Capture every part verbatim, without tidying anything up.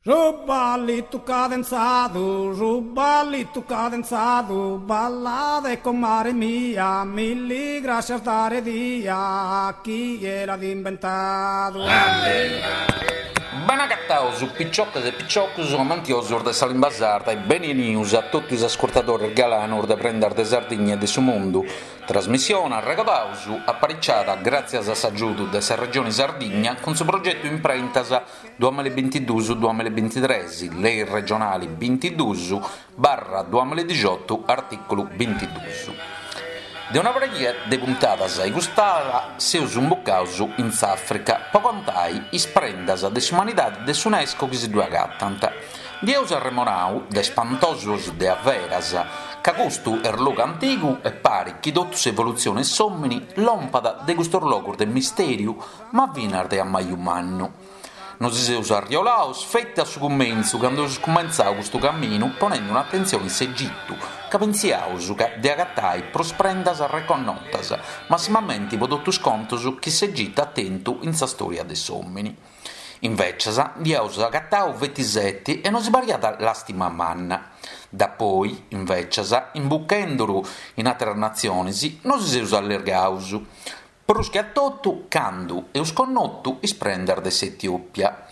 Su ballitu cadenzadu, su ballitu cadenzadu, ballade comare mia, milli grascias dare dia, chie l'at imbentadu. Benagataus piciocas e piciocus amantiosus de sa limba sarda e benenius a totu is ascurtadores galanos de Prendas de Sardigna e de su Mundu. Trasmissione, arregodaus, apariciada gràtzias a s'agiudu de sa Regione Sardigna cun su progetu Imprentas duamilla e bintiduus duamilla e bintitres, lei regionale bintiduus barra duamilla e dixiotu artìculu bintiduus. De una pariga de puntadas a cust'ala seus imbucados in s'Àfrica pro contai is prendas de s'umanidade de s'UNESCO chi si ddoe agatant. Nd'eus arremonadu de spantosos de averas, ca custu est logu antigu e paret chi totu s'evolutzione 'e s'òmine lompat de custos logos de mistèriu, ma finas de ammaju mannu. Nos seus arriolados feti a su cumentzu, cando eus cumentzadu custu caminu ponende un'atentzione in s'Egitu, ca pensiaus de agatare prus prendas reconnotas, massimamente pro totu is contos chi s'Egitu at tentu in sa stòria de s'òmine. Invècias nd'aus agatadu feti sete e nos pariat làstima manna. Dapoi, invècias, imbuchenduru in àteras natziones, nos seus allergados. Prus che a totu cando eus connotu is prendas de s'Etiòpia.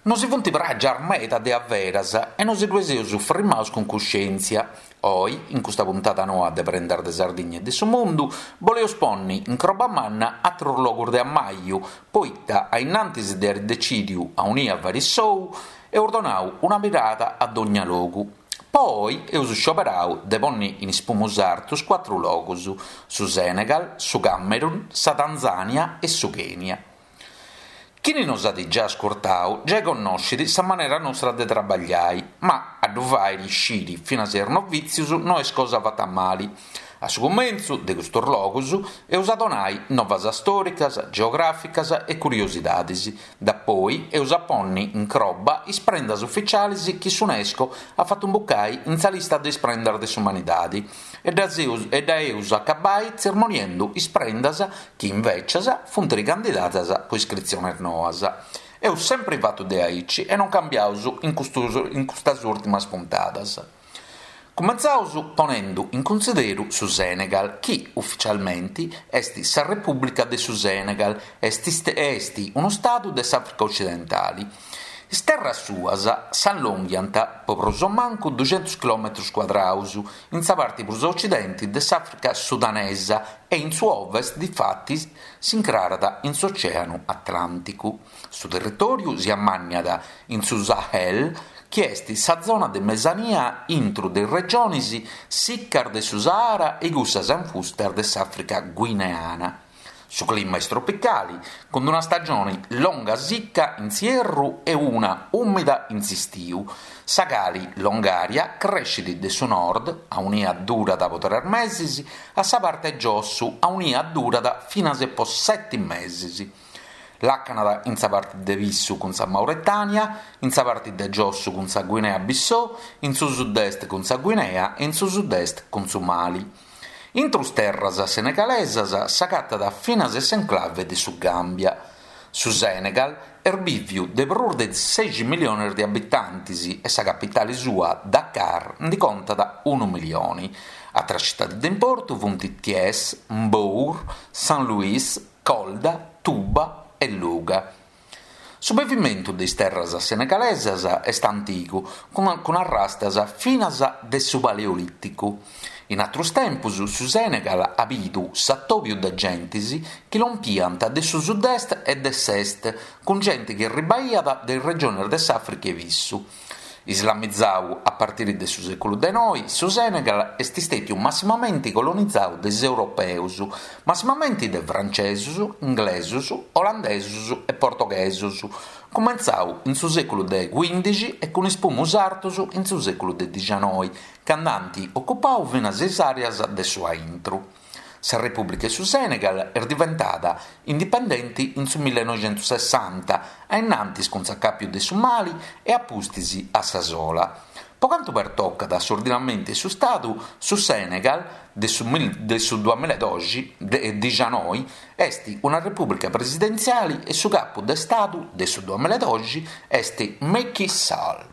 Nos funt pràgias meda de averas e nos ddoe seus frimados cun cuscièntzia. Oi, in custa puntada noa de Prendas de Sardigna e de su Mundu, boleus ponni in croba manna àteros logos de ammaju, poita a innantis de àere detzìdiu aunia fàere s'ou, eus donadu una mirada a dogna logu. Poi eus scioberadu de ponni in is pumus artos cuatru logos, su Senegal, su Camerun, sa Tanzània e su Kenya. Chini nos at già ascurtadu giai connoscit sa manera nostra de trabagliare, ma a ddu fàere iscire finas a is novìtzios no est cosa fata male. A su cumentzu de custos logos eus a donare novas istòricas, geogràficas e curiosidades. Dapoi eus a ponni in croba is prendas ufitziales chi s'UNESCO at fatu imbucare in sa lista de is prendas de s'umanidade e dda eus a acabbare tzermoniendo is prendas chi invècias funt ricandidadas pro iscritziones noas. Eus sempre fatu de aici e non cambiaus in, custos, in custas ùrtimas puntadas. Cumentzaus ponendo in cunsideru su Senegal, chi ufitzialmente est sa Repùblica de su Senegal, est, est unu stadu de s'Àfrica Ocidentale. Is terras suas s'allonghiant pro prus o mancu duxentus chilòmetros cuadrados in sa parte prus a ocidente de s'Àfrica sudanesa e in su ovest, difatis, s'incrarat in s'Oceanu Atlànticu. Su territòriu si ammànniat in su Sahel, chi est sa zona de mesania intro de is regiones siccas de su Sahara e cussas infustas de s'Àfrica guineana. Su clima est tropicale, cun una stagione longa sicca in s'ierru e una ùmida in s'istiu. Sa cale longària crescit de su nord, aunia durat pro tres meses, a sa parte 'e giossu, aunia durat finas pro sete meses. Làcanat in sa parte de pissu cun sa Mauretània, in sa parte de giossu cun sa Guinea-Bissau, in su sud-est cun sa Guinea e in su sud-est cun su Mali. Intro is terras senegalesas s'agatat finas s'enclave de su Gàmbia. Su Senegal est bìviu de prus de seixi miliones de abitantes e sa capitale sua, Dakar, nde contat unu milione. Àteras tzitades de importu sunt Thiès, Mbour, Saint-Louis, Kolda, Touba e Louga. Su bivimentu de is terras senegalesas est antigu, cun, cun arrastas finas de su Paleolìticu. In àteros tempos su Senegal at bidu s'atòbiu de gentes chi lompiant de su sud-est e de s'est, cun gente chi arribaiat de is regiones de s'Àfrica 'e Pissu. Islamizadu a partire de su sèculu de noe, su Senegal est istètiu massimamente colonizadu de is europeos, massimamente de frantzesos, inglesos, olandesos e portoghesos, cumentzadu in su sèculu de quìndixi e cun is pumus artos in su sèculu de dicianoe, cando ant ocupadu finas is àreas de su aintru. Sa Repùblica de su Senegal est diventada indipendente in su millenoixentosessanta, a innantis cun s'acàpiu de su Mali e a pustis a sa sola. Po cantu pertocat s'ordinamentu 'e su Stadu, su Senegal de su de su duamilla e doxi e dixanoi est una repùblica presidentziale e su capu de Stadu de su duamilla e doxi est Macky Sall.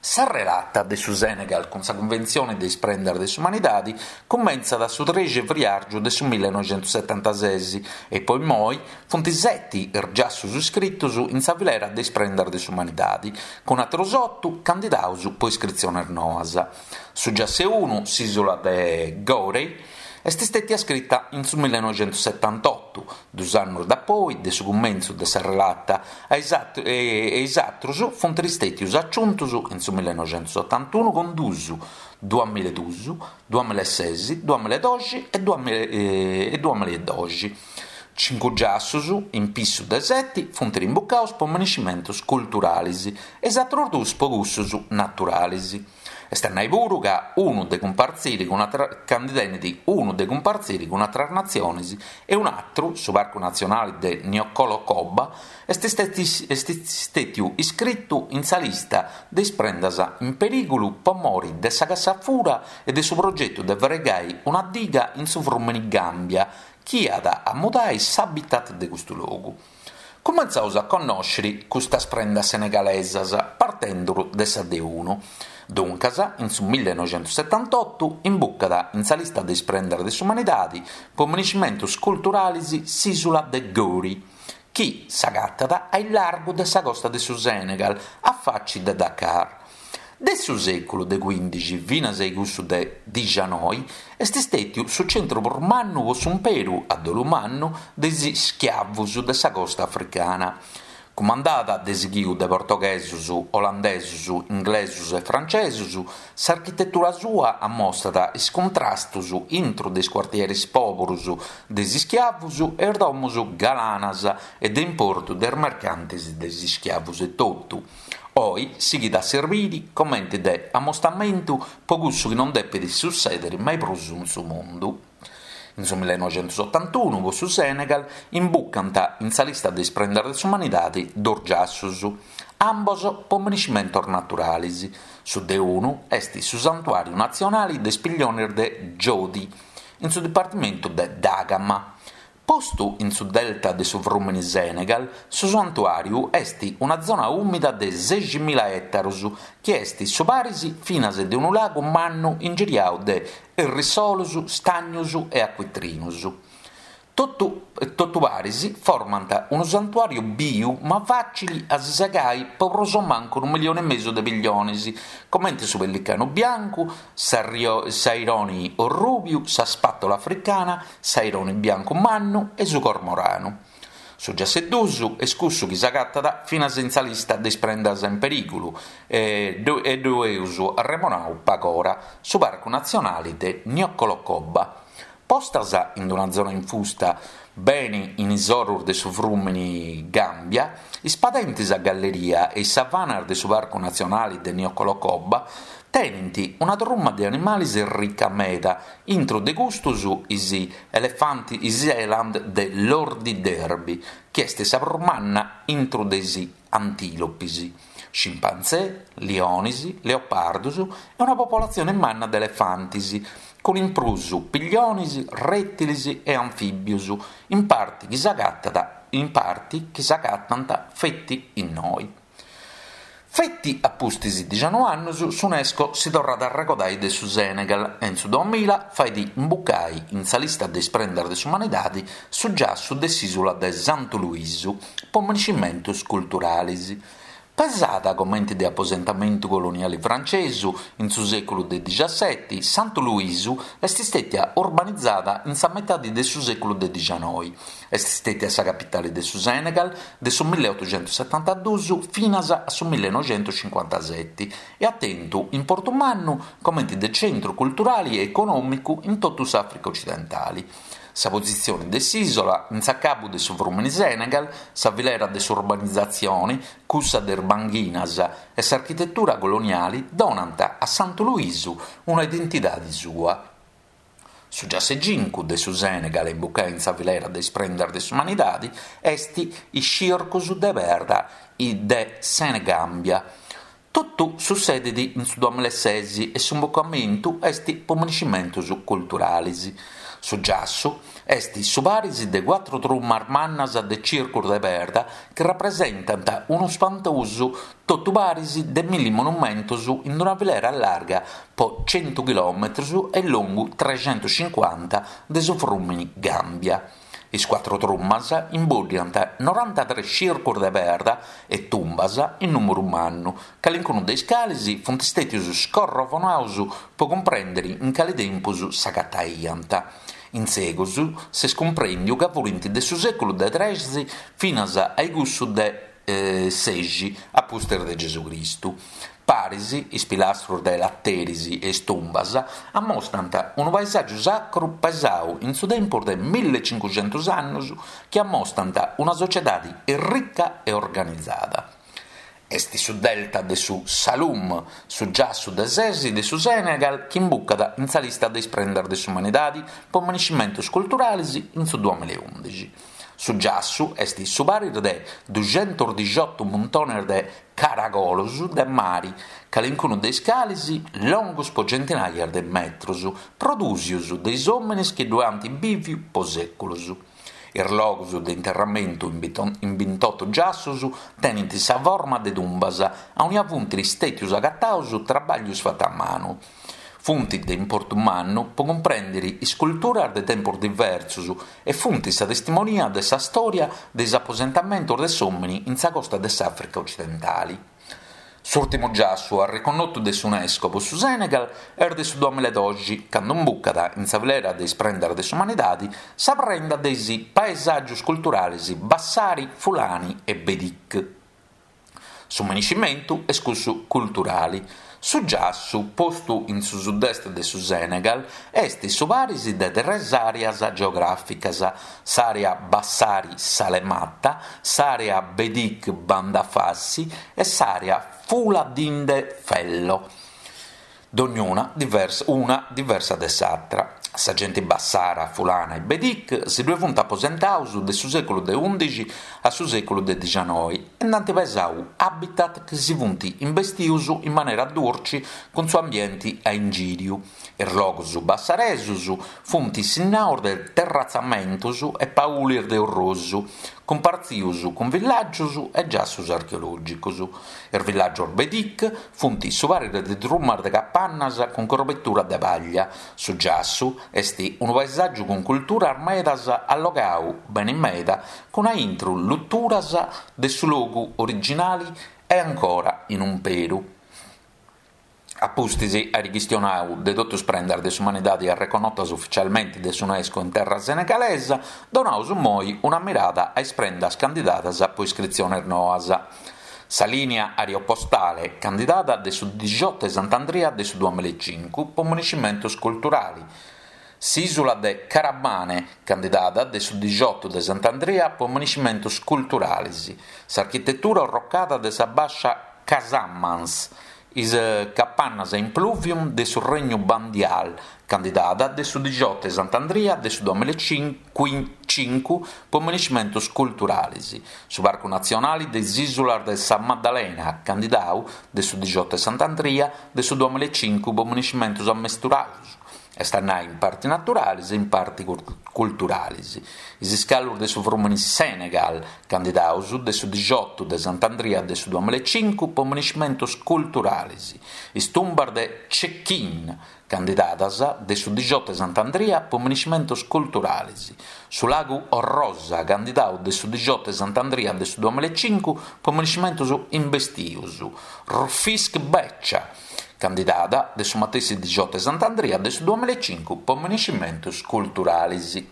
Sa relata de su Senegal cun sa Cunventzione de is Prendas de s'Umanidade cumentzat su trexi 'e friàrgiu de su millenoixentosetantases e po immoi funt seti is giassus iscritos in sa filera de is Prendas de s'Umanidade, cun àteros oto candidados po iscritziones noas. Su giassu 'e unu, s'ìsula de Gorée, est stètia scrita in su millenoixentosetantotto, dus annos dapoi de su cumentzu de sa relata, e is àteros funt istètios aciuntos in su millenoixentotantunu cun dus, duamilla e dus, duamilla e ses, duamilla e doxi e duamilla e doxi. Cincu giassus, in pissu de seti, funt rimbucados po minescimentos culturales e is àteros dus po cussos naturales. Est a nai puru ca unu de cumpartzire cun ca ndi tenet unu de cumpartzire cun àteras natziones e un'àteru, su Parcu Natzionale de Niokolo-Koba, est stètiu iscritu in sa lista de is prendas in perìgulu po more de sa cassa a fura e de su progetu de fraigare una diga in su frùmene Gàmbia, chi at a mudare s'habitat de custu logu. Cumentzaus a connòschere custas prendas senegalesas partendo de sa de unu. Duncas, in su millenoixentosetantotto, imbucat in sa lista de is prendas de s'umanidade po minescimentos culturales s'ìsula de Gorée, chi s'agatat a largu de sa costa de su Senegal, a faci de Dakar. De su sèculu de quindixi finas a cussu de dixanoi est stètiu su centru prus mannu po s'umperu, a dolu mannu, de is ischiavos de sa costa africana. Cumandada de sighiu de portoghesos, olandesos, inglesos e francesos, s'architetura sua ammostat is cuntrastos intro de is cuartieres pòberos de is ischiavos e is domos galanas e de importu de is mercantes de is ischiavos etotu. Oe sighit a servire comente de ammostamentu po cussu chi non depet sutzèdere mai prus in su mundu. In su millenoixentotantunu, po su Senegal, imbucant in sa lista de is prendas de s'umanidade dos giassos, ambos po minescimentos naturales. Su de unu est su Santuàriu Natzionale de is Pigliones de Djodi, in su dipartimentu de Dagama. Postu in su delta de su frùmene Senegal, su santuàriu est una zona ùmida de seiximila ètaros, chi est su paris finas de unu lagu mannu ingiriadu de errissolos, stagnos e acuitrinos. Totu, totu paris formant unu santuàriu biu ma fàcile a si segare po prus o mancu unu milione e mesu de pigliones, comente su pellicanu biancu, s'aironi orrùbiu, sa spatola africana, s'aironi biancu mannu e su cormoranu. Su giassu 'e dus est cussu chi s'agatat finas in sa lista de is prendas in perìgulu e ddu eus arremonadu pagora, su Parcu Natzionale de Niokolo-Koba. Postas in una zona infusta bene in is oros de su frùmene Gàmbia, is padentes a galleria e is savanas de su Parcu Natzionale de Niokolo-Koba tenent una truma de animales rica meda, intro de custos is elefanti, is eland de Lordi Derby, chi est sa prus manna intro de is antilopis, scimpanzé, liones, leopardos e una popolatzione manna de elefantes, cun in prus pigliones, rètiles e anfìbios, in parte chi s'agatat in parte chi s'agatant feti innoi. Feti a pustis dixanoi annos s'UNESCO si torrat a arregodare de su Senegal e in su duamilla fait imbucare in sa lista de is prendas de s'umanidade su giassu de s'ìsula de Santu Luisu po minescimentos culturales. Pesada comente de aposentamentu coloniale francesu in su sèculu de diciasseti, Santu Luisu est stètia urbanizada in sa metade de su sèculu de dixanoi. Est stètia sa capitale de su Senegal de su milleottocentosettantaduus finas a su millenoixentocinquantaseti e at tentu importu mannu comente de centru culturale e econòmicu in totu s'Àfrica occidentale. Sa positzione de s'isola in s'acabu de su frùmene Senegal, sa filera de s'urbanizatzione, cussa de is banghinas e s'architetura coloniale donant a Santu Luisu una identidade sua. Su giassu 'e cincu de su Senegal imbucai in sa filera de is prendas de s'umanidade est is circos de perda de Senegambia. Totu sussedit in su duamillaesès e s'imbucamentu est pro minescimentos culturales. Su giassu est su paris de cuatru trumas mannas de circos de perda chi rapresentant unu spantosu totu paris de milli monumentos in una filera larga pro chentu chilòmetros e longu treghentoschincuanta de su frùmene Gàmbia. Is cuatru trumas imbòddiant norantatrès circos de perda e tumbas in nùmeru mannu, calicunu de is cales sunt istètios scorrovonados pro cumprèndere in cale tempus s'agataiant. In segus s'est cumprèndidu ca fuint de su sèculu de tres finas a cussu de sexi a pustis de Gesù Cristu. Paris, is pilastros de lateris e is tumbas ammostrant unu paesàgiu sacru pesadu in su tempus de millecincucentos annos chi ammostrant una sotziedade rica e organizada. Est su delta de su Saloum, su giassu de sesi de su Senegal chi imbucat in sa lista de is prendas de s'umanidade pro minescimentos culturales in su duamillaundixi. Su giassu est su paris de duxentosdixoto muntones de caragolos de mare, calincunu de is cales longos pro centinaia de metros, prodùsios de is òmines chi ddoe ant bìvidu pro sèculos. Is logos de interramentu in bintotto giassos tenent sa forma de tumbas, aunia funt istètios agatados traballos fatos a manu. Funt de importu mannu pro cumprèndere is culturas de tempos diversos e funt sa testimonia de sa stòria de is aposentamentos de s'òmine in sa costa de s'Àfrica otzidentale. S'ùrtimu giassu arreconnotu de s'UNESCO pro su Senegal est de su duamillaedoxi, cando imbucat in sa filera de is prendas de s'umanidade sa prenda de is paesàgios culturales Bassari, Fulani e Bedik. Su minescimentu est cussu culturale. Su giassu, postu in su sud-est de su Senegal, est su paris de tres àreas geogràficas: s'àrea Bassari-Salemata, s'àrea Bedik-Bandafassi e s'àrea Fula-Dinde-Fello. Dognuna diversa, una diversa de s'àtera. Sa gente Bassara, Fulana e Bedik si ddoe funt aposentados de su sèculu de ùndixi a su sèculu de dicianoi e nd'ant pesadu habitat chi si funt imbestidos in manera durche cun su ambiente a ingìriu. Is logos bassaresos funt sinnados de terratzamentos e paules de orrosu, cumpartzidos cun villàgios e giassos archeològicos. Is villàgios Bedik funt su paris de trumas de capannas cun cobertura de paglia. Su giassu est unu paesàgiu cun culturas medas allogadu bene meda cun a intro luturas de su logu originale e ancora in umperu. A pustis àere chistionadu de totu is prendas de s'umanidade arreconnotas ufitzialmente de s'UNESCO in terra senegalesa, donaus moi una mirada a is prendas candidadas pro iscritziones noas. Sa lìnia aeropostale candidada de su diciotto de Sant'Andria de su duamillaecincu pro minescimentos culturales. S'ìsula de Carabane, candidada de su diciotto de Sant'Andria pro minescimentos culturales. S'architetura arrocada de sa Bassa Casamance, is capannas impluvium de su Regnu Bandial, candidada de su diciotto de Sant'Andria de su duamillacincu pro minescimentos culturales. Su Parcu Natzionale de is Ìsulas de sa Maddalena, candidadu de su diciotto de Sant'Andria de su duamillaecincu pro minescimentos ammesturados. Est a nai in parte naturales e in parte culturales. Is iscalos de su frùmene Senegal, candidados de su diciotto de Sant'Andria de su duamillaecincu pro minescimentos culturales. Is tumbas de Cekin, candidadas de su diciotto de Sant'Andria pro minescimentos culturales. Su lagu Orrosa, candidadu de su diciotto de Sant'Andria de su duamillaecincu pro minescimentos imbestidos. Rufisque Beccia, candidada de su matessi diciotto de Sant'Andria de su duamillaecincu pro minescimentos culturales.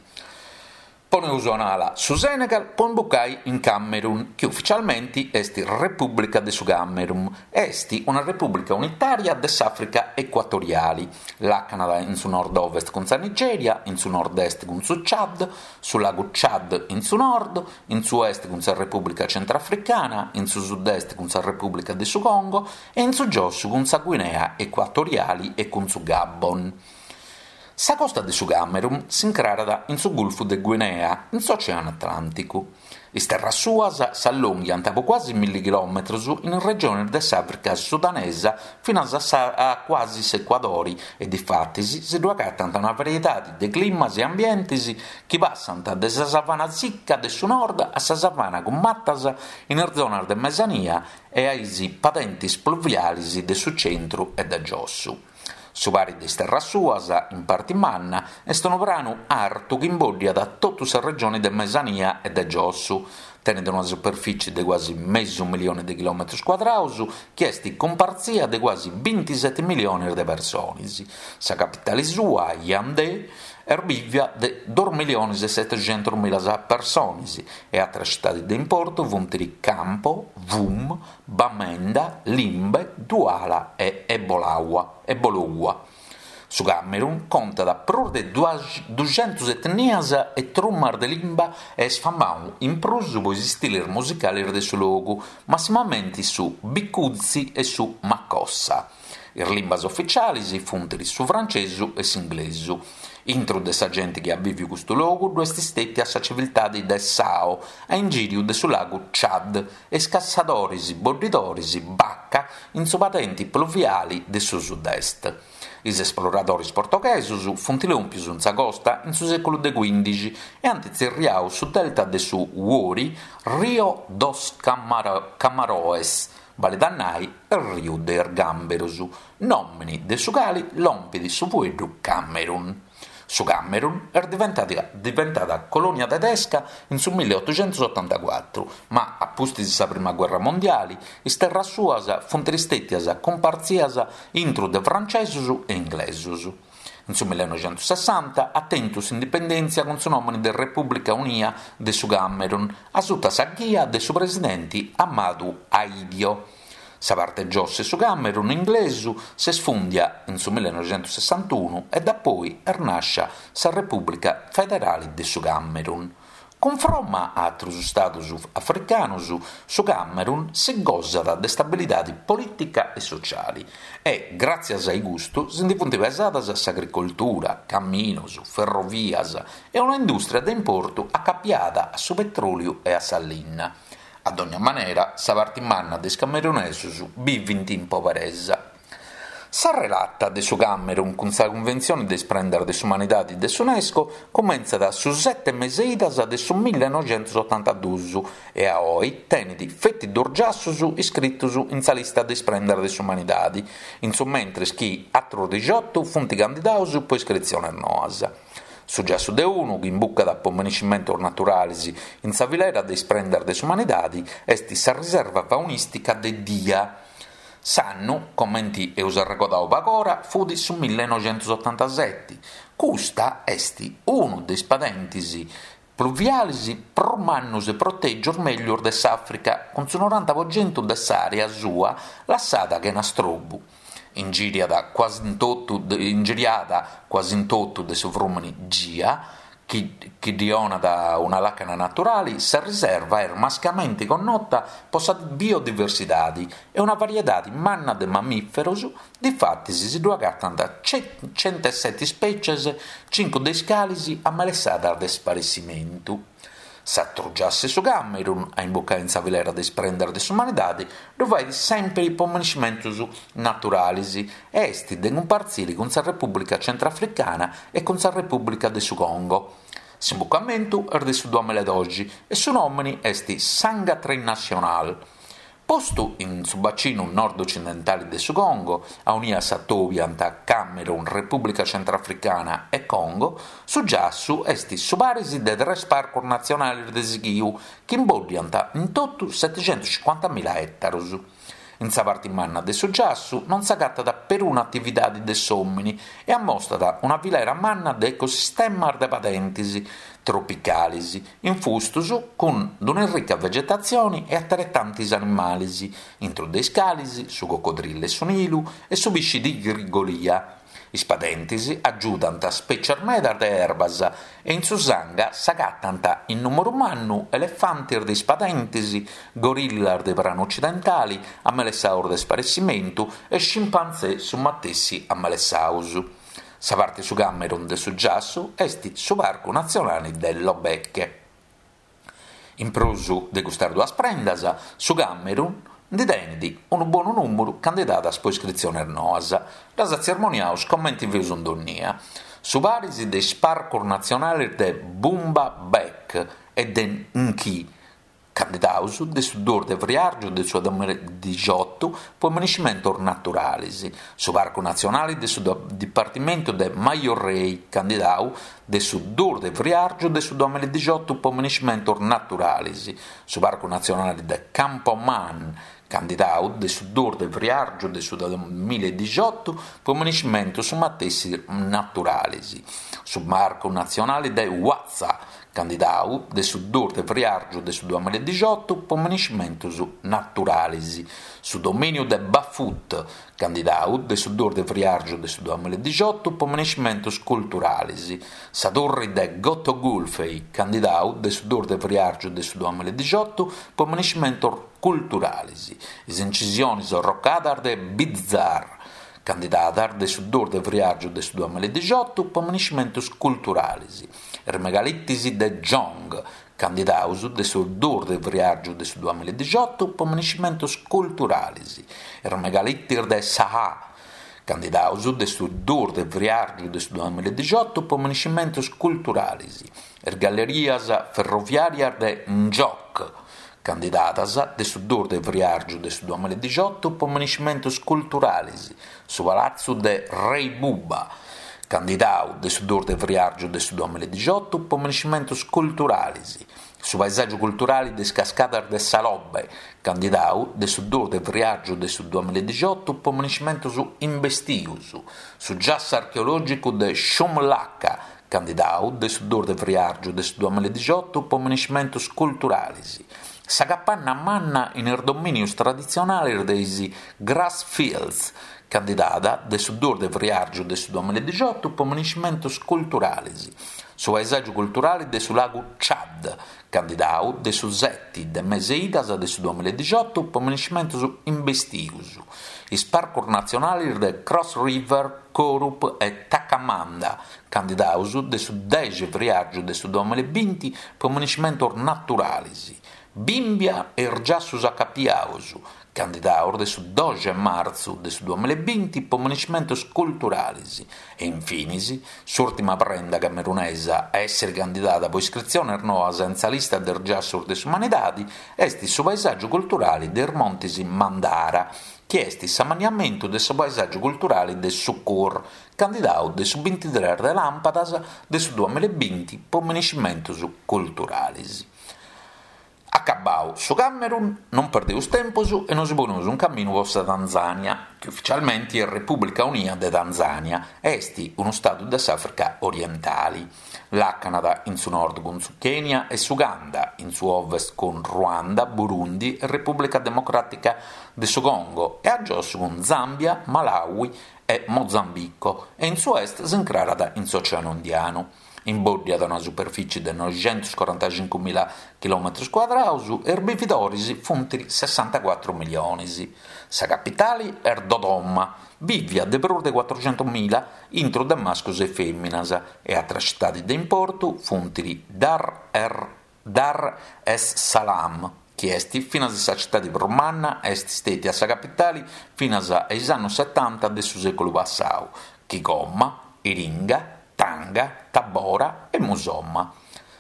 Poneus un'ala su Senegal pro imbucare in Camerun, chi ufitzialmente est Repùblica de su Camerun. Est una repùblica unitària de s'Àfrica ecuatoriale. Làcanat in su nord-ovest cun sa Nigèria, in su nord-est cun su Chad, su lagu Chad in su nord, in su est cun sa Repùblica Centrafricana, in su sud-est cun sa Repùblica de su Congo e in su giossu cun sa Guinea Ecuatoriale e cun su Gabon. Sa costa de su Camerun s'incrarat in su Gulfu de Guinea, in s'Oceanu Atlànticu. Is terras suas s'allonghiant po cuasi milli chilòmetros in is regiones de s'Àfrica sudanesa finas a, sa, a cuasi s'Ecuadore e difatis si ddu agatant una variedade de climas e ambientes chi passant de sa savana sicca de su nord a sa savana cun matas in is zonas de mesania e a is padentes pluviales de su centru e de giossu. Su pari de is terras suas, in parte manna, est unu pranu artu chi imboddiat totu sa regione de mesania e de giossu. Tenet una superficie de quasi mesu milione de chilòmetros cuadrados, chi est cumpartzia de quasi bintisete miliones de persones. Sa capitale sua, Yaoundé, est bivia de dos miliones e setecentos mila persones e àteras tzitades de importu funt Campo, Wum, Bamenda, Limbe, Douala e Ebolowa. Ebolowa. Su Camerun contat prus de duxentus etnias e trumas de limba e est famadu in prus pro is istiles musicales de su logu, massimamente su bikutsi e su makossa. Is limbas ufitziales funt su frantzesu e s'inglesu. Intro de sa gente chi at bìvidu custu logu ddu est stètia sa civiltade de Sao, a ingìriu de su lagu Chad, e is cassadores boddidores Baka in su padente pluviale de su sud-est. Is esploradores portoghesos funt lòmpios in sa costa in su sèculu de quìndixi e ant tzerriadu su delta de su Wouri Rio dos Camarões, balet a nai Riu de is Gàmberos, nòmene de su cale lompet su fueddu Camerun. Su Camerun est diventada, diventada colonia tedesca in su milleottocentoottantacuatro, ma a pustis sa Prima Guerra Mondiale is terras suas funt stètias cumpartzias intro de frantzesos e inglesos. In su millenovecentosessanta at tentu s'indipendèntzia cun su nòmene de Repùblica Unia de su Camerun, a suta sa ghia de su presidente Ahmadou Ahidjo. Sa parte giossa de su Camerun inglesu s'est fùndia in su millenovecentosessantunu e dapoi est nàscia sa Repùblica Federale de su Camerun. Cunfromma a àteros istados africanos, su Camerun si gosat de stabilidade polìtica e sotziale e, gràtzias a custu, si nde funt pesadas s'agricoltura, caminos, ferrovias e una indùstria de importu acapiada a su petròliu e a sa linna. A dogna manera, sa parte manna de is camerunesos bivint in poberesa. Sa relata de su Camerun cun sa Cunventzione de is Prendas de s'Umanidade de s'UNESCO cumentzat su sete meseidas de su millenovecentosottantaduos e a oe tenet feti dos giassos iscritos in sa lista de is Prendas de s'Umanidade, in su mentres chi àteros diciotto funt candidados pro iscritziones noas. Su giassu de unu, chi imbucat po menescimentos naturales in sa filera de is Prendas de s'Umanidade, est sa riserva faunìstica de Dia. S'annu, comente eus arregodadu pagora, fut su millenovecentosottantasete. Custa est unu de is padentes pluviales prus mannos e protègios mègius de s'Àfrica, cun su noranta pro chentu de s'àrea sua lassada chena strobu. Ingiriada quasi in totu, ingiriada quasi in totu de su frùmene Gia, chi, chi ddi donat una làcana naturale, sa riserva est mascamente connota pro sa biodiversidade e una variedade manna de mammìferos, difatis si ddu agatant centosete ispècies, cincu de is cales amelessadas de sparessimentu. S'àteru giassu 'e su Camerun, a imbucare in sa filera de is Prendas de s'Umanidade, ddu fait sempre pro menescimentos naturales e est de cumpartzire cun sa Repùblica Centrafricana e cun sa Repùblica de su Congo. S'imbucamentu est de su duamilaedoxi e su nòmene est Sangha Trail National. Postu in su bacinu nord-occidentale de su Congo, aunia s'atobiant Camerun, Repùblica Centrafricana e Congo, su giassu est su paris de tres parcos natzionales de sighiu chi imboddiant in totu setecentoscincuantamila ètaros. In sa parte manna de su giassu non s'agatat peruna atividade de s'òmine e ammostat una filera manna de ecosistemas de padentes tropicales, infustos cun una ricca vegetatzione e ateretantes animales, intro de is cales su cocodrillo 'e su Nilu e su pisce tigre Golia. Is padentes agiudant spècies medas de erbas e in su Sangha s'agatant in nùmeru mannu elefantes de is padentes, gorillas de pranu occidentale, amelessados de sparessimentu e scimpantzè su matessi amelessados. Sa parte su Camerun de su giassu est su Parcu Natzionale de Lobeke. In prus de custas duas prendas, su Camerun nde tenet unu bonu nùmeru candidadas pro iscritziones noas. Ddas atzermoniaus comente feus in donnia. Su paris de is parcos natzionales de Boumba Bek e de Nki, candidados de su duos de friàrgiu de su duamiladixoto pro ammanescimentos naturales. Su Parcu Natzionale de su Dipartimentu de Mayo Rey, candidadu de su duos de friàrgiu de su duamiladixoto pro ammanescimentos naturales. Su Parcu Natzionale de Campo Ma'an, candidadu de su duos de friàrgiu de su duamiladixoto pro ammanescimentos su matessi naturales. Su Parcu Natzionale de Watsa, candidadu de su duos de friàrgiu de su duamiladixoto pro ammanescimentos naturales. Su domìniu de Bafut, candidadu de su duos de friàrgiu de su duamiladixoto pro ammanescimentos culturales. Sa Torre de Goto Gulfey, candidadu de su duos de friàrgiu de su duamiladixoto pro ammanescimentos culturales. Is incisiones arrocadas de Bizzar, candidadas de su duos de friàrgiu de su duamiladixoto pro ammanescimentos culturales. Is megalitis de Dschang, candidados de su duos de friàrgiu de su duamiladixoto pro ammanescimentos culturales. Is megalitis de Saha, candidados de su duos de friàrgiu de su duamiladixoto pro ammanescimentos culturales. Is gallerias ferroviàrias de N'Djok, candidadas de su duos de friàrgiu de su duamiladixoto pro ammanescimentos culturales. Su Palatzu de Rey Buba, candidadu de su duos de friàrgiu de su duamiladixoto pro ammanescimentos culturales. Su paesàgiu culturale de is cascadas de Salobe, candidadu de su duos de friàrgiu de su duamiladixoto pro ammanescimentos imbestios. Su giassu archeològicu de Shumlaka, candidadu de su duos de friàrgiu de su duamiladixoto pro ammanescimentos culturales. Sa capanna manna in is domìnios traditzionales de is Grassfields, candidada de su duos de friàrgiu de su duamiladixoto pro ammanescimentos culturales. Su paesàgiu culturale de su lagu Chad, candidadu de su sete de mese idas de su duamiladixoto pro ammanescimentos imbestios. Is parcos natzionales de Cross River, Korup e Takamanda, candidados de su deghe friàrgiu de su duamilabinti pro ammanescimentos naturales. Bimbia e is giassos acapiados, candidados de su doxi de martzu de su duamilabinti pro ammanescimentos culturales. E infinis, s'ùrtima prenda camerunesa a èssere candidada pro iscritziones noas in sa lista de is giassos de s'umanidade est su paesàgiu culturale de is Montes Mandara, chi est s'ammaniamentu de su paesàgiu culturale de Sukur, candidadu de su bintitrès de làmpadas de su duamilabinti pro ammanescimentos culturales. Acabadu su Camerun, non perdeus tempus e nos poneus in caminu pro sa Tanzània, chi ufitzialmente est Repùblica Unida de Tanzània, est unu stadu de s'Àfrica Orientale. Làcanat in su nord cun su Kenya e s'Uganda, in su ovest cun Ruanda, Burundi e Repùblica Democràtica de su Congo e a giosso cun Zàmbia, Malawi e Mozambico e in su est s'incrarat in s'Oceanu Indianu. Imbòddiat una superfìcie de noixentuscorantacincu mila chilòmetros cuadrados e is bividores funt sessantacuatru miliones. Sa capitale est Dodoma, bìvia de prus de cuatruxentus mila intro de mascros e fèminas, e àteras tzitades de importu funt Dar, er, Dar es Salaam, chi est finas sa tzitade prus manna e est stètia sa capitale finas a is annos setanta de su sèculu passadu, Kigoma, Iringa, Tanga, Tabora e Musoma.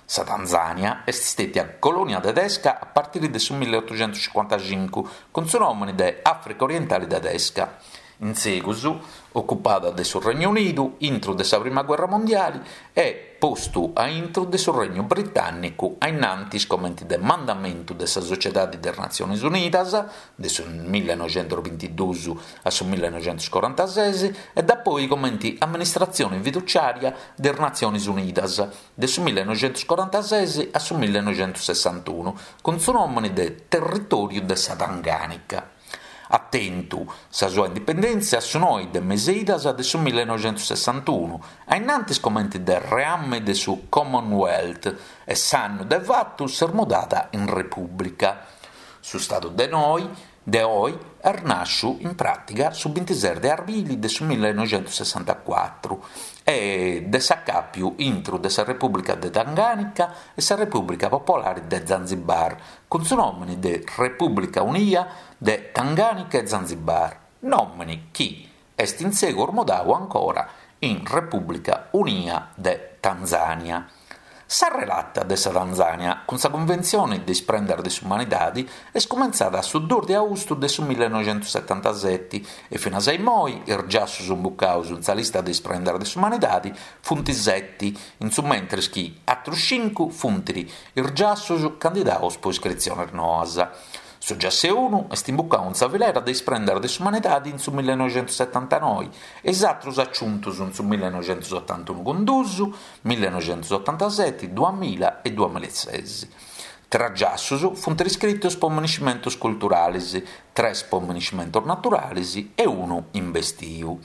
Sa Tanzània est stètia colònia tedesca a partire de su milleotoxentuscincuantacincu cun su nòmene de Àfrica Orientale Tedesca. In segus, ocupada de su Regnu Unidu intro de sa Prima Guerra Mondiale e postu a intro de su Regnu Britànnicu a innantis comente de mandamentu de sa Sociedade de is Natziones Unidas de su millenoixentusbintiduus a su millenoixentuscorantases e dapoi comente amministratzione fiduciària de is Natziones Unidas de su millenoixentuscorantases a su millenoixentussessantunu cun su nòmene de Territòriu de sa Tanganica. At tentu sa sua indipendèntzia su noe de meseidas de su millenoixentussessantunu, a innantis comente de reame de su Commonwealth e s'annu de fatu s'est mudada in Repùblica. Su Stadu de noi De oi est nàsciu in pràtiga su bintises de arbili de su millenoixentussessantacuatru e de s'acàpiu intru de sa Repùblica de Tanganica e sa Repùblica Popolare de Zanzibar cun su nòmene de Repùblica Unia de Tanganica e Zanzibar, nòmene chi est in segus mudadu ancora in Repùblica Unia de Tanzània. Sa relata de sa Tanzània cun sa Cunventzione de is Prendas de s'Umanidade est cumentzada su duos de austu de su millenoixentusetantasete e finas a imoi is giassos imbucados in sa lista de is Prendas de s'Umanidade funt sete, in su mentres chi àteros cincu funt is giassos candidados pro iscritziones noas. Su giassu unu est imbucadu in sa filera de is Prendas de s'Umanidade in su millenoixentusetantanoe e is àteros aciuntos in su millenoixentuotantunu cun duos, millenoixentuotantasete, duamilla e duamillases. Tres giassos funt iscritos pro monumentos culturales, tres pro monumentos naturales e unu imbestiu.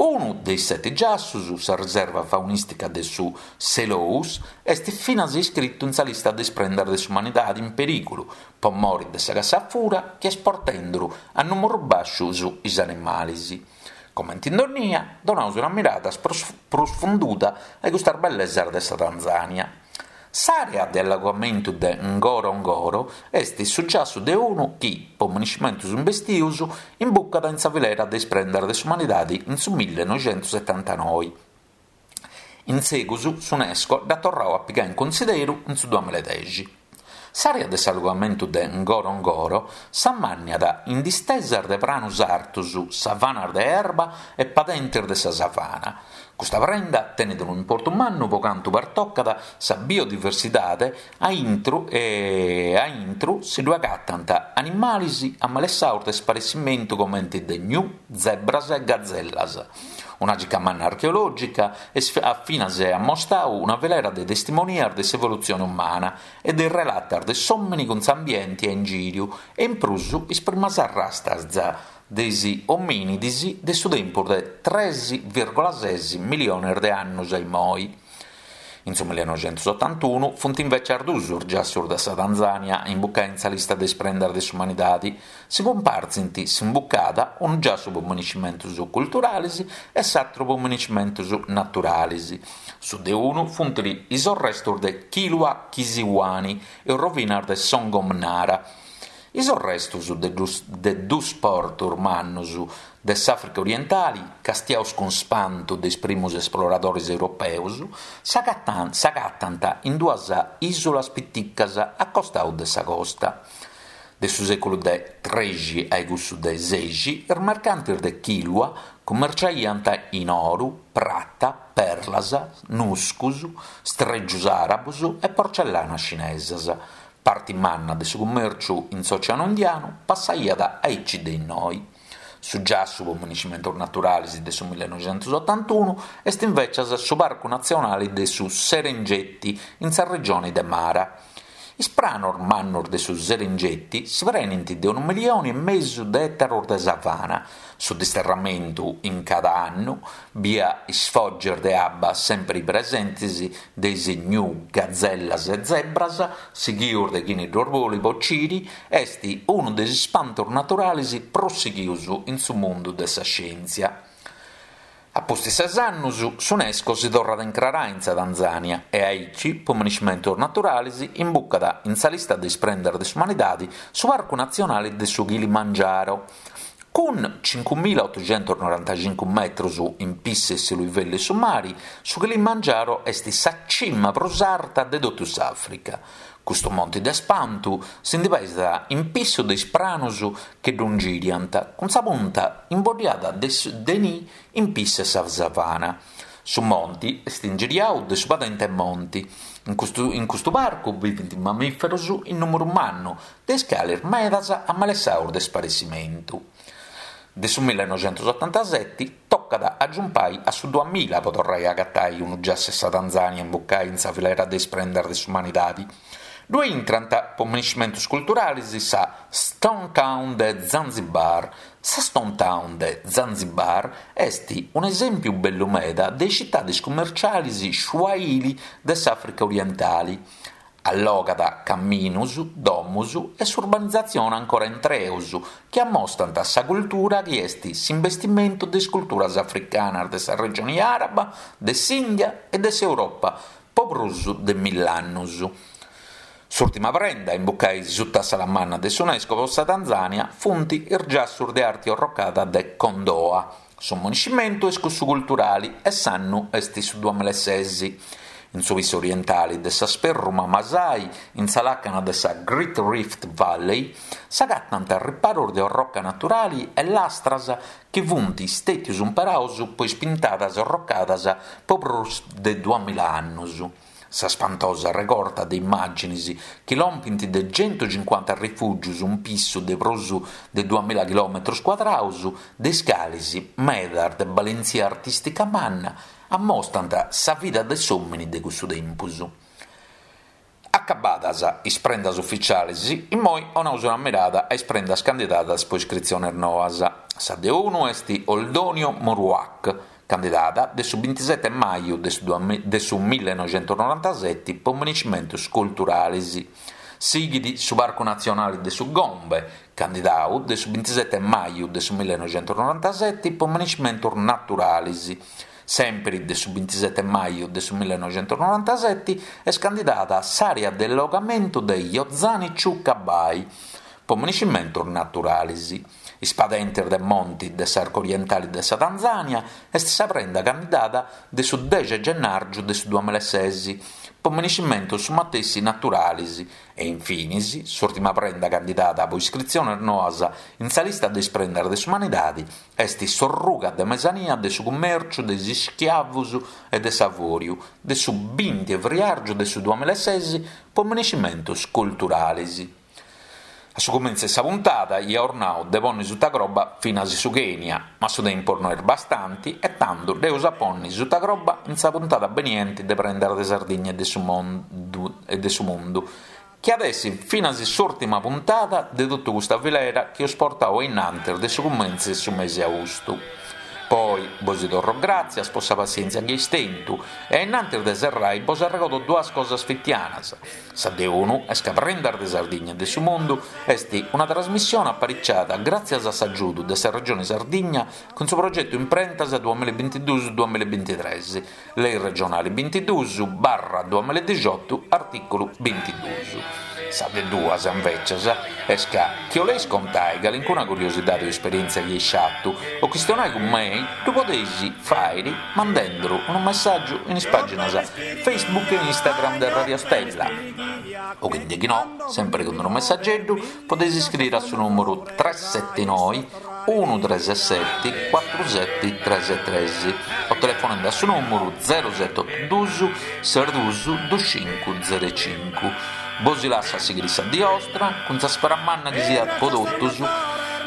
Unu de is sete giassos, sa riserva faunìstica de su Selous, est finas iscritu in sa lista de is Prendas de s'Umanidade in perìgulu pro more de sa cassa a fura chi est portende a nùmeros bàscios is animales. Comente in dònnia, donamus una mirada prus, prus funduda a custas bellesas de sa Tanzània. S'àrea de allogamentu de Ngorongoro est su giassu de unu chi, pro monumentos imbestidos, imbucat in sa filera de is Prendas de s'Umanidade in su millenoixentusetantanoe. In segus s'UNESCO dd'at torradu a pigare in cunsideru in su duamillaedex. S'àrea de s'allogamentu de Ngorongoro s'ammànniat in distesas de pranos artos, savanas de erba e padentes de sa savana. Custa prenda tenet unu importu mannu pro cantu pertocat sa biodiversidade a intro e a intro si ddu agatant animales amalessados de sparessimentu comente de gnu, zebras e gazellas. Una gica manna archeològica at finas ammostadu una filera de testimonias de s'evolutzione umana e de is relatas de s'òmine cun s'ambiente a ingìriu e in prus is primas arrastas de is omìnides de su tempus de tres vìrgula ses miliones de annos a imoi. In su millenoixentuotantunu funt invècias duos is giassos de sa Tanzània a imbucare in sa lista de is Prendas de s'Umanidade. Si cumpartzint s'imbucada unu giassu pro monumentos culturales e s'àteru pro monumentos naturales. Su de unu funt is arrestos de Kilwa Kisiwani e rovinas de Songo Mnara. Is arrestos de dus, de dus portos mannos de s'Àfrica orientale, castiados cun spantu de is primos esploradores europeos, s'agatant in duas ìsulas piticas a costadu de sa costa. De su sèculu de trexi a cussu de sexi, is mercantes de Kilwa cummerciaiant in oro, prata, perlas, nuscos, strègios àrabos e porcellanas cinesas. Parte manna de su cummèrciu in s'Oceanu Indianu passaiat aici de innoi. Su giassu pro monumentos naturales de su millenoixentuotantunu est invècias su Parcu Natzionale de su Serengeti in sa regione de Mara. Is pranos mannos de su Serengeti si prenent de unu milione e mesu de ètaros de savana. Su disterramentu in cada annu, bia is fògias de abba sempre presentes de is gnu, gazellas e zebras, sighidos de chini ddos bolit bocire, est unu de is ispantos naturales prus sighidos in su mundu de sa scièntzia. A pustis ses annos, s'UNESCO si torrat a incrarare in sa Tanzània e aici, pro monumentos naturales, imbucat in sa lista de is Prendas de s'Umanidade su Parcu Natzionale de su Kilimangiaro. Cun cincumilaotoxentunorantacincu metros in pissu 'e su livellu 'e su mare, su Kilimangiaro est sa cima prus arta de totu s'Àfrica. Custu monte de spantu si nde pesat in pissu de is pranos chi ddu ingìriant, cun sa punta imboddiada de, de nie in pissu 'e sa savana. Su monte est ingiriadu de su padente Monti. In custu, in custu parcu bivent mammìferos in nùmeru mannu, de is cales medas amalessados de sparessimentu. De su millenoixentuotantasete tocat a giumpare a su duamilla pro torrare a agatare unu giassu 'e sa Tanzània imbucadu in sa filera de is Prendas de s'Umanidade. Ddoe intrant pro monumentos culturales sa Stone Town de Zanzibar. Sa Stone Town de Zanzibar est un'esèmpiu bellu meda de is citades cummerciales Swahili de s'Àfrica orientale. Allogat camminus, domus e s'urbanizatzione ancora intreus chi ammostant sa cultura chi est s'imbestimentu de is culturas africanas de sa regione araba, de s'India e de s'Europa po prus de mill'annos. S'ùrtima prenda a imbucare sutta sa manna de s'UNESCO po sa Tanzania funt is giassus de arte orrocada de Kondoa. Su municimentu est cussu culturale e s'annu est su duamillaesès. In su pissu orientale de sa Sperruma Masai, in sa làcana de sa Great Rift Valley, s'agatant riparos de orroca naturale e lastras chi funt stètius imperados po is pintadas orrocadas po prus de duamilla annos. Sa spantosa regorta de immàgines chi lompint de centocincuanta rifùgios un pissu de prus de duamilla chilòmetros cuadrados de is cales medas de balentzia artìstica manna ammostrant sa vida de s'òmine de cussu tempus. Acabadas is prendas ufitziales, immoi 'onaus una mirada a is prendas candidadas po iscritziones noas. Sa de unu est Oldonio Moruak, candidada de su bintisete maju de su, de su millenoixentonorantasete po municimentos culturales. Sighit su Parcu Natzionale de su Gombe, candidadu de su bintisete maju de su millenoixentonorantasete po municimentos naturales. Sempre de su bintisete maju de su millenoixentonorantasete est candidada s'àrea de allogamentu de Jozani Chuka Bay po municimentos naturales. Is padentes de monti de s'arco orientale de sa Tanzania est sa prenda candidada de su dexi gennàrgiu de su duamillaesès po municimentos su matessi naturales e infinis s'ùrtima prenda candidada po iscritziones noas in sa lista de is prendas de s'umanidade est s'orruga de mesania de su cummèrciu de is ischiavos e de s'avòriu de su binti 'e friàrgiu de su duamillaesès po municimentos culturales. A su cumintzu de sa puntada ia ornau de ponni sutta croba finas su Kenya, ma su tempus no est bastante e tantu dd'eus a ponni sutta croba in sa puntada beniente de Prendas de Sardigna e de su mundu, e de su mundu chi at essi finas s'ùrtima puntada de totu custa filera chi eus portau innantis de su cumintzu de su mese austu. Poi bos torro gràtzias po sa passièntzia chi eis tentu e innantis de serrai bos arregodo duas cosas fitianas. Sa de unu est ca Prendas de Sardigna e de su Mundu est una trasmissione apariciada gràtzias a s'agiudu de sa Regione Sardigna cun su progetu Imprentas duamillabintiduus duamillabintitrès, Lei regionale bintiduus barra duamillaedixotu, artìculu bintiduus. Sa de duas, invecias, est ca chi 'oleis contai calincuna curiosidade o esperièntzia chi eis fatu o chistionai cun mei, ddu podeis fàere mandenduru unu messàgiu in is pàginas Facebook e Instagram de Radio Stella. O quindi chi no, sempre cun unu messageddu, podeis iscriere a su nùmeru tres sette noe unu tres sette cuatru sette tres tres o telefonende a su nùmeru zero sette otu duus ses duus dus cincu zero cincu. Bos lasso a sighire sa die 'ostra cun sa spera manna chi siat po totus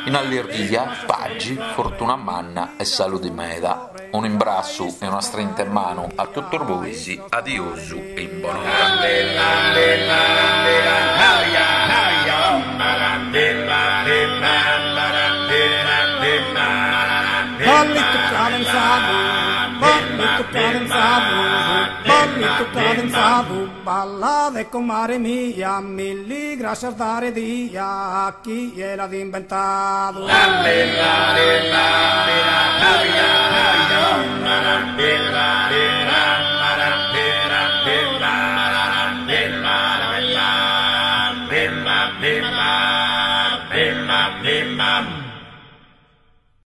in allirghia, pagi, fortuna manna e salude meda. Un imbrassu e una strinta in manu a totus bois, adiosu e in bonora. Ballito cadenzado, ballito cadenzado, ballito cadenzado, balla de comare mia, milli gracias dare dia a chi l'ha inventato. La, la, la,